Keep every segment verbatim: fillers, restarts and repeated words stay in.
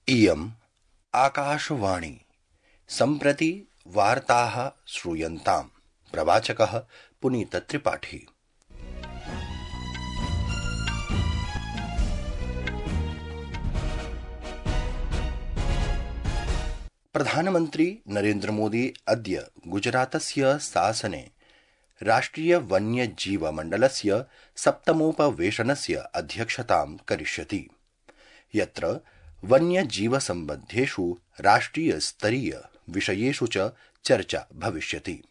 इयम् आकाशवाणी सम्प्रति वार्ताः श्रूयन्ताम्। प्रवाचकः पुनीतत्रिपाठी। प्रधानमन्त्री नरेन्द्र मोदी अद्य गुजरातस्य शासने राष्ट्रिय वन्यजीव मण्डलस्य सप्तमोपवेशनस्य अध्यक्षतां करिष्यति, यत्र वन्यजीवसम्बद्धेषु राष्ट्रियस्तरीय विषयेषु च चर्चा भविष्यति।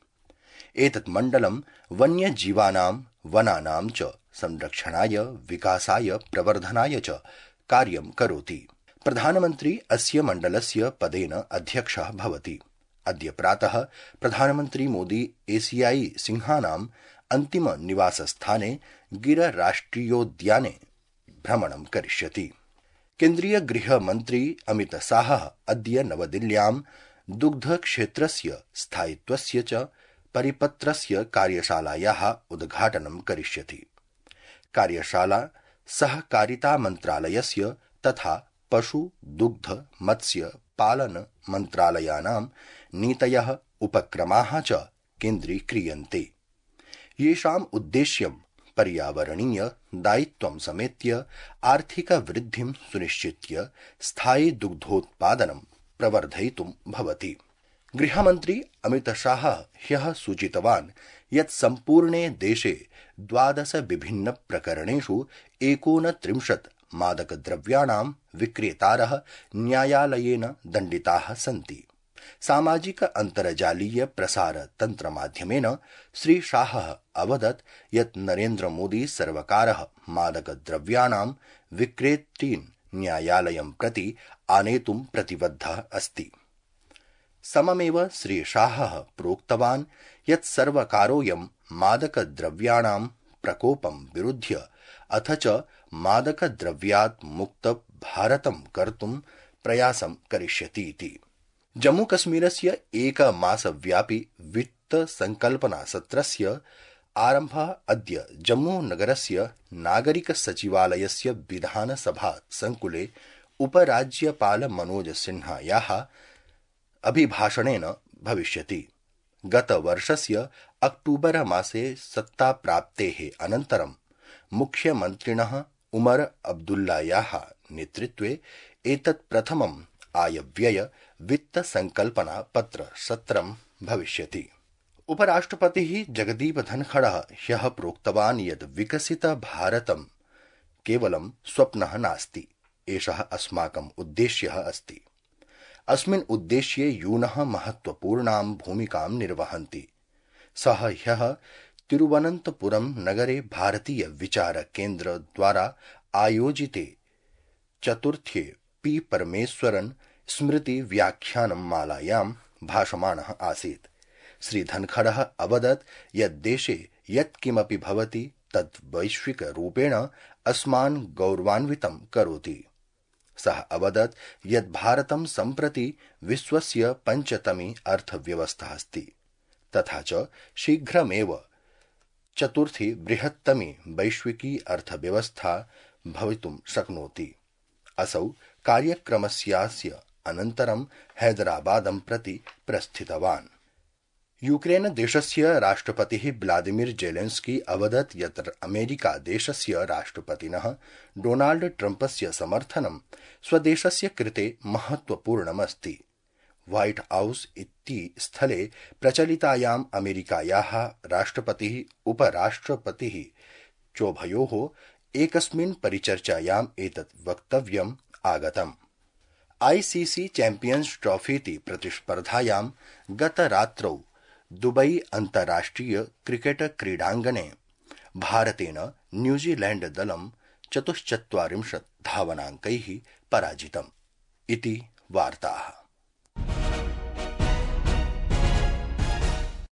एतत् मण्डलं वन्यजीवानां वनानां च संरक्षणाय, विकासाय, प्रवर्धनाय च कार्यं करोति। प्रधानमन्त्री अस्य मण्डलस्य पदेन अध्यक्षः भवति। अद्य प्रातः प्रधानमन्त्री मोदी एशियाई सिंहानाम् अन्तिम निवासस्थाने गिर राष्ट्रियोद्याने भ्रमणं करिष्यति। केन्द्रीय गृहमन्त्री अमित शाहः अद्य नवदिल्ल्यां दुग्धक्षेत्रस्य स्थायित्वस्य च परिपत्रस्य कार्यशालायाः उद्घाटनं करिष्यति। कार्यशाला सहकारितामन्त्रालयस्य तथा पशु दुग्ध मत्स्य पालन मन्त्रालयानां नीतयः उपक्रमाः च केन्द्रीक्रियन्ते, येषाम् उद्देश्यं पर्यावरणीय दायित्वं समेत्य आर्थिक वृद्धिं सुनिश्चित्य स्थायि दुग्धोत्पादनं प्रवर्धयितुं भवति। गृहमन्त्री अमित शाहः ह्यः सूचितवान् यत् सम्पूर्णे देशे द्वादश विभिन्न प्रकरणेषु एकोनत्रिंशत् मादकद्रव्याणां विक्रेतारः न्यायालयेन दण्डिताः सन्ति। सामाजिक अन्तर्जालीय प्रसार तन्त्रमाध्यमेन श्री शाहः अवदत् यत् नरेन्द्र मोदी सर्वकारः मादकद्रव्याणां विक्रेतॄन् न्यायालयं प्रति आनेतुं प्रतिबद्धः अस्ति। सममेव श्री शाहः प्रोक्तवान् यत् सर्वकारोऽयं मादकद्रव्याणां प्रकोपं विरुध्य अथ च मादकद्रव्यात् मुक्त भारतं कर्तुं प्रयासं करिष्यतीति। जम्मूकश्मीरस्य एकमासव्यापि वित्त संकल्पना सत्रस्य आरम्भः अद्य जम्मूनगरस्य नागरिक सचिवालयस्य विधानसभा संकुले उपराज्यपाल मनोज सिन्हायाः अभिभाषणेन भविष्यति। गतवर्षस्य अक्टूबर मासे सत्ताप्राप्तेः अनन्तरं मुख्यमन्त्रिणः उमर अब्दुल्लायाः नेतृत्वे एतत् प्रथमम् आयव्यय वित्त संकल्पना पत्र सत्रं भविष्यति। उपराष्ट्रपतिः जगदीप धनखडः ह्यः प्रोक्तवान् यत् विकसित भारतं केवलं स्वप्नः नास्ति, एषः अस्माकम् उद्देश्यः अस्ति। अस्मिन् उद्देश्ये यूनः महत्वपूर्णां भूमिकां निर्वहन्ति। सः ह्यः तिरुवनन्तपुरं नगरे भारतीय विचार केन्द्र द्वारा आयोजिते चतुर्थे पी परमेश्वरन स्मृति व्याख्यानं मालायां भाषमाणः आसीत्। श्री धनखडः अवदत् यत् देशे यत् किमपि भवति तत् वैश्विकरूपेण अस्मान् गौरवान्वितं करोति। सः अवदत् यत् भारतं सम्प्रति विश्वस्य पञ्चतमी अर्थव्यवस्था अस्ति, तथा च शीघ्रमेव चतुर्थी बृहत्तमी वैश्विकी अर्थव्यवस्था भवितुं शक्नोति। असौ कार्यक्रमस्यास्य अनन्तरं हैदराबादं प्रति प्रस्थितवान्। यूक्रेन देशस्य राष्ट्रपतिः व्लादिमीर जेलेन्स्की अवदत् यत् अमेरिका देशस्य राष्ट्रपतिनः डोनाल्ड ट्रम्पस्य समर्थनं स्वदेशस्य कृते महत्वपूर्णमस्ति। व्हाइट हाउस इति स्थले प्रचलितायाम् अमेरिकायाः राष्ट्रपतिः उपराष्ट्रपतिः चोभयोः एकस्मिन् परिचर्चायाम् एतत् वक्तव्यम् आगतम्। आईसीसी चैम्पियन्स् ट्रॉफीति प्रतिस्पर्धायां गतरात्रौ दुबई अन्ताराष्ट्रिय क्रिकेट क्रीडाङ्गणे भारतेन न्यूजीलैंड दलं चतुश्चत्वारिंशत् धावनाङ्कैः पराजितम् इति वार्ताः।